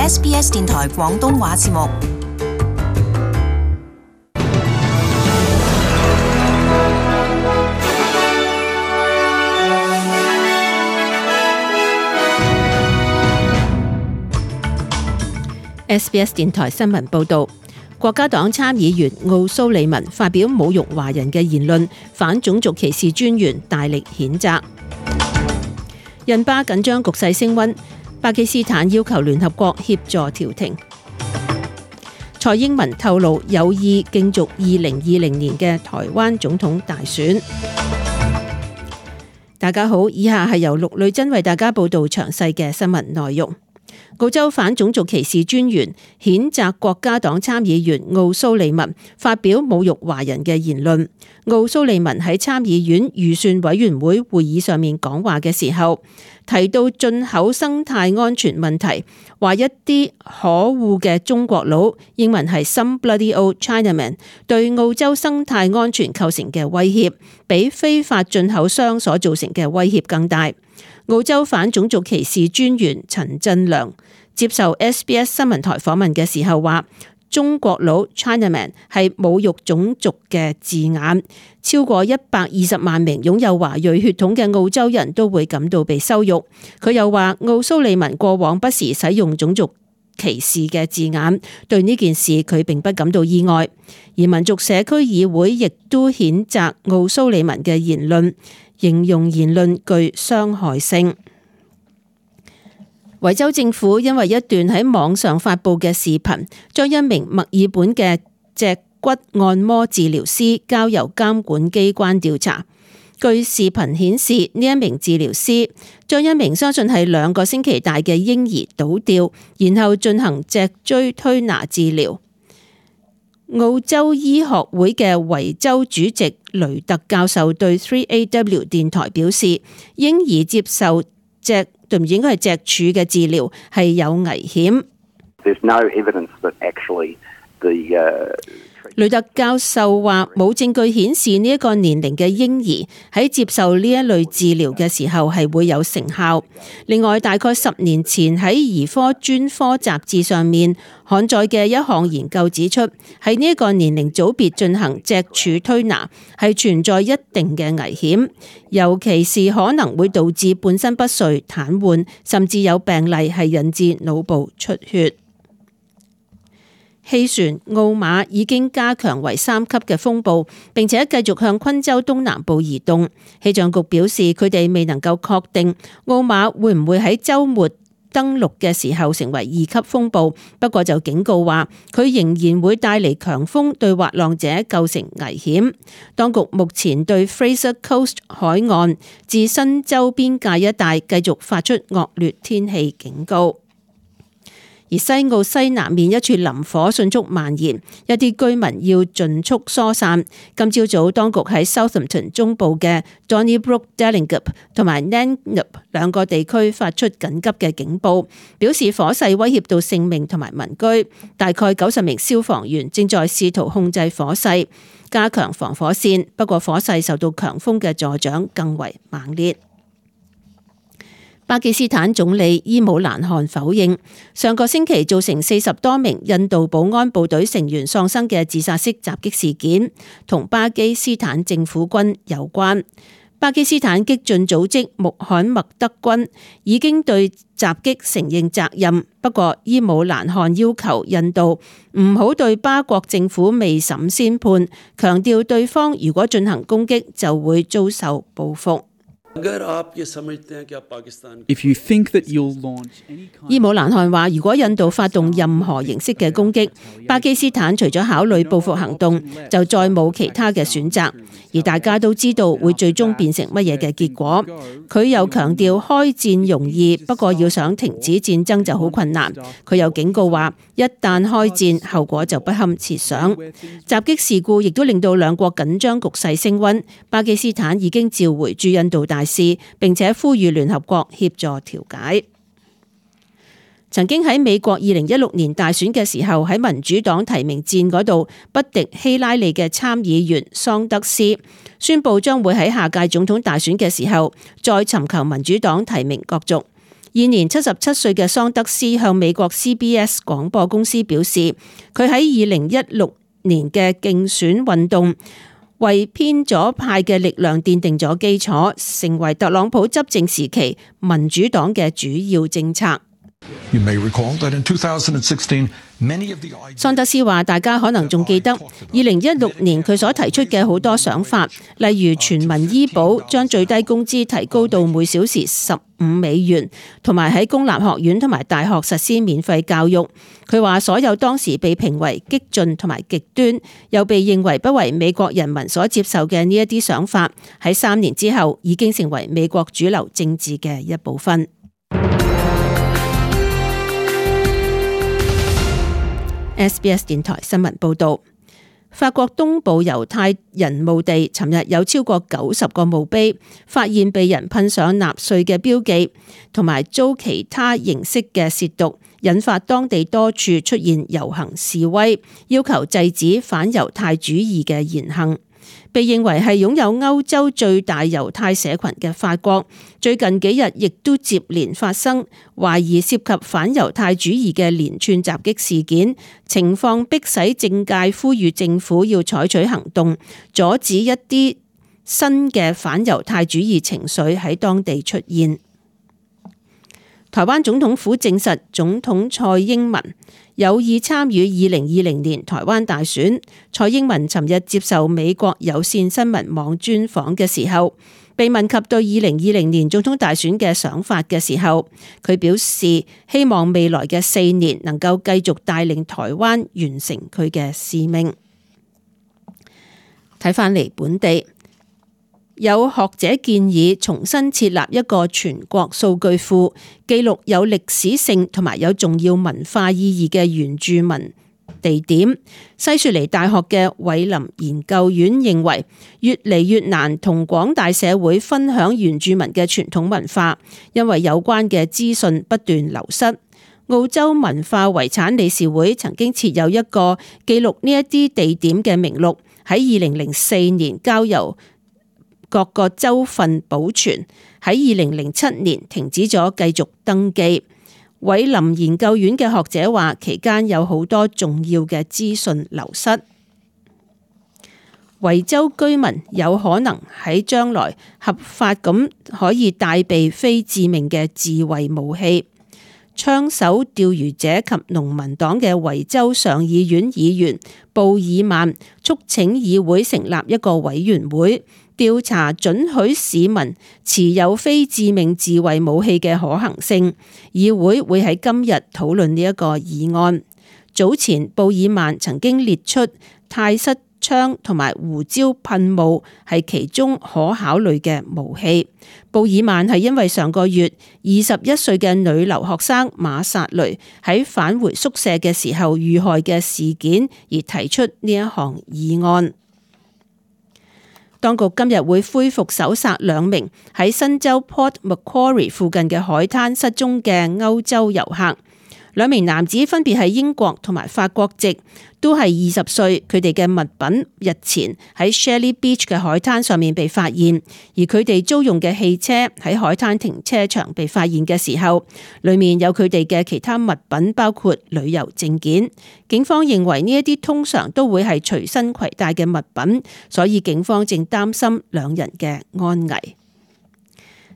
SBS 電台廣東話節目。SBS 電台新聞報導，國家黨參議員奧蘇利文發表侮辱華人嘅言論，反種族歧視專員大力譴責。印巴緊張局勢升溫，巴基斯坦要求聯合國協助調停。蔡英文透露有意競逐2020年嘅台灣總統大選。大家好，以下係由陸女珍為大家報導詳細嘅新聞內容。澳洲反種族歧視專員譴責國家黨參議員奧蘇利文發表侮辱華人嘅言論。奧蘇利文喺參議院預算委員會會議上面講話嘅時候，提到進口生態安全問題，話一啲可惡嘅中國佬，英文係 Some bloody old Chinaman， 對澳洲生態安全構成嘅威脅，比非法進口商所造成嘅威脅更大。澳洲反種族歧視專員陳振良接受 SBS 新聞台訪問嘅時候話，中國佬 Chinaman 係侮辱種族嘅字眼，超過120萬名擁有華裔血統嘅澳洲人都會感到被羞辱。佢又話，奧蘇利文過往不時使用種族歧視嘅字眼，對呢件事佢並不感到意外。而民族社區議會亦都譴責奧蘇利文嘅言論，形容言論具傷害性。維州政府因為一段喺網上發布嘅視頻，將一名墨爾本嘅脊骨按摩治療師交由監管機關調查。據視頻顯示，呢一名治療師將一名相信係2個星期大嘅嬰兒倒吊，然後進行脊椎推拿治療。澳洲醫學會嘅維州主席雷特教授對 3AW 電台表示，嬰兒接受應該係脊柱嘅治療係有危險。雷特教授話，冇證據顯示呢一個年齡嘅嬰兒喺接受呢一類治療嘅時候係會有成效。另外，大概10年前喺兒科專科雜誌上面刊載嘅一項研究指出，喺呢一個年齡組別進行脊柱推拿係存在一定嘅危險，尤其是可能會導致半身不遂、癱瘓，甚至有病例係引致腦部出血。氣旋奧馬已經加強為3級嘅風暴，並且繼續向昆州東南部移動。氣象局表示，佢哋未能夠確定奧馬會唔會喺週末登陸嘅時候成為2級風暴，不過就警告話佢仍然會帶嚟強風，對滑浪者構成危險。當局目前對 Fraser Coast 海岸至新州邊界一帶繼續發出惡劣天氣警告。而西澳西南面一處林火迅速蔓延，一啲居民要盡速疏散。今朝早當局喺 Southampton 中部嘅 Donnybrook、Dallingup 同埋 Nannup 2個地區發出緊急嘅警報，表示火勢威脅到性命同埋民居。大概90名消防員正在試圖控制火勢，加強防火線。不過火勢受到強風嘅助長，更為猛烈。巴基斯坦總理伊姆蘭汗否認上個星期造成40多名印度保安部隊成員喪生嘅自殺式襲擊事件同巴基斯坦政府軍有關。巴基斯坦激進組織穆罕默德軍已經對襲擊承認責任，不過伊姆蘭汗要求印度唔好對巴國政府未審先判，強調對方如果進行攻擊就會遭受報復。伊姆蘭汗話，如果印度發動任何形式嘅攻擊，巴基斯坦除咗考慮報復行動，就再冇其他嘅選擇。而大家都知道會最終變成乜嘢嘅結果。佢又強調開戰容易，不過要想停止戰爭就好困難。佢又警告話，一旦開戰，後果就不堪設想。襲擊事故亦都令到兩國緊張局勢升溫。巴基斯坦已經召回駐印度大使，並且呼籲聯合國協助調解。曾經喺美國2016年大選嘅時候喺民主黨提名戰嗰度不敵希拉里嘅參議員桑德斯，宣布將會喺下屆總統大選嘅時候再尋求民主黨提名角逐。現年77歲嘅桑德斯向美國 CBS 廣播公司表示，佢喺2016年嘅競選運動為偏左派嘅力量奠定咗基礎，成為特朗普執政時期民主黨嘅主要政策。桑德斯話：大家可能仲記得2016年佢所提出嘅好多想法，例如全民醫保、將最低工資提高到每小時$15，同埋喺公立學院同埋大學實施免費教育。佢話所有當時被評為激進同埋極端，又被認為不為美國人民所接受嘅呢一啲想法，喺3年之後已經成為美國主流政治嘅一部分。SBS 電台新聞報道，法國東部猶太人墓地尋日有超過90個墓碑發現被人噴上納粹嘅標記，同埋遭其他形式嘅褻瀆，引發當地多處出現遊行示威，要求制止反猶太主義嘅言行。被認為係擁有歐洲最大猶太社群嘅法國，最近幾日亦都接連發生懷疑涉及反猶太主義嘅連串襲擊事件，情況迫使政界呼籲政府要採取行動，阻止一啲新嘅反猶太主義情緒喺當地出現。台灣總統府證實，總統蔡英文有意參與2020年台灣大選。蔡英文尋日接受美國有線新聞網專訪嘅時候，被問及對2020年總統大選嘅想法嘅時候，佢表示希望未來嘅4年能夠繼續帶領台灣完成佢嘅使命。睇返嚟本地，有學者建議重新設立一個全國數據庫，記錄有歷史性同埋有重要文化意義嘅原住民地點。西雪梨大學嘅韋林研究院認為，越嚟越難同廣大社會分享原住民嘅傳統文化，因為有關嘅資訊不斷流失。澳洲文化遺產理事會曾經設有一個記錄呢一啲地點嘅名錄，喺2004年交由各個州份保存，喺2007年停止咗繼續登記。韋林研究院嘅學者話，期間有好多重要嘅資訊流失。維州居民有可能喺將來合法咁可以帶備非致命嘅自衛武器。槍手、釣魚者及農民黨嘅維州上議院議員布爾曼促請議會成立一個委員會，調查准許市民持有非致命自衛武器嘅可行性。議會會喺今日討論呢一個議案。早前布爾曼曾經列出泰瑟槍同埋胡椒噴霧係其中可考慮嘅武器。布爾曼係因為上個月21歲嘅女留學生馬薩雷喺返回宿舍嘅時候遇害嘅事件而提出呢一項議案。當局今日會恢復搜索2名喺新州 Port Macquarie 附近嘅海灘失蹤嘅歐洲遊客。2名男子分別係英國同埋法國籍，都係20歲。佢哋嘅物品日前喺 Shelley Beach 嘅海灘上面被發現，而佢哋租用嘅汽車喺海灘停車場被發現嘅時候，裡面有佢哋嘅其他物品，包括旅遊證件。警方認為呢一啲通常都會係隨身攜帶嘅物品，所以警方正擔心2人嘅安危。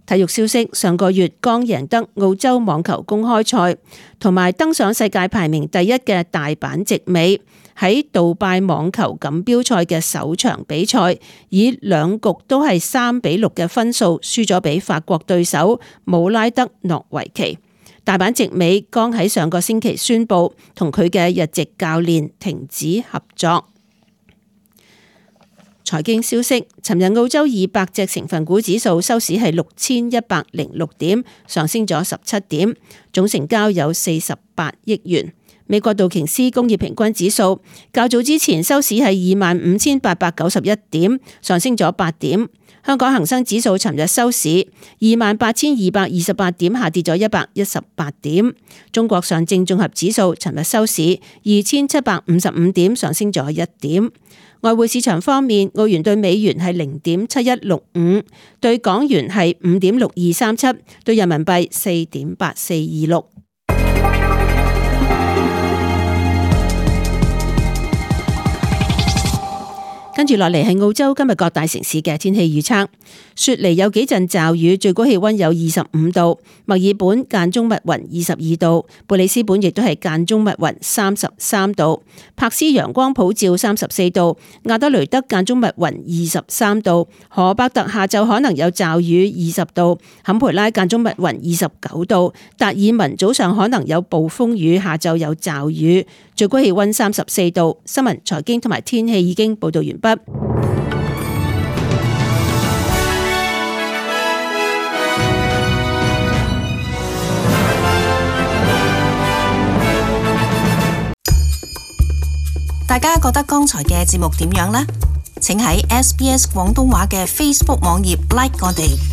體育消息，上個月剛贏得澳洲網球公開賽同埋登上世界排名第1嘅大阪直美，喺杜拜網球錦標賽嘅首場比賽，以2局都係3-6嘅分數輸咗俾法國對手姆拉德諾維奇。大阪直美剛喺上個星期宣布同佢嘅日籍教練停止合作。財經消息，尋日澳洲200隻成分股指數收市係6106點，上升咗17點，總成交有48億元。美國道瓊斯工業平均指數較早之前收市係25,891點，上升咗8點。香港恒生指數尋日收市28,228點，下跌咗118點。中國上證綜合指數尋日收市2,755點，上升咗1點。外匯市場方面，澳元對美元係0.7165，對港元係5.6237，對人民幣4.8426。跟住落嚟係澳洲今日各大城市嘅天氣預測。雪梨有幾陣驟雨，最高氣溫有25度；墨爾本間中密雲22度；布里斯本亦都係間中密雲33度；柏斯陽光普照34度；亞德雷德間中密雲23度；荷伯特下晝可能有驟雨20度；坎培拉間中密雲29度；達爾文早上可能有暴風雨，下晝有驟雨，最高氣溫34度。新聞、財經同埋天氣已經報道完畢。大家覺得剛才嘅節目點樣呢？請喺SBS 廣東話嘅 Facebook 網頁 like 我哋。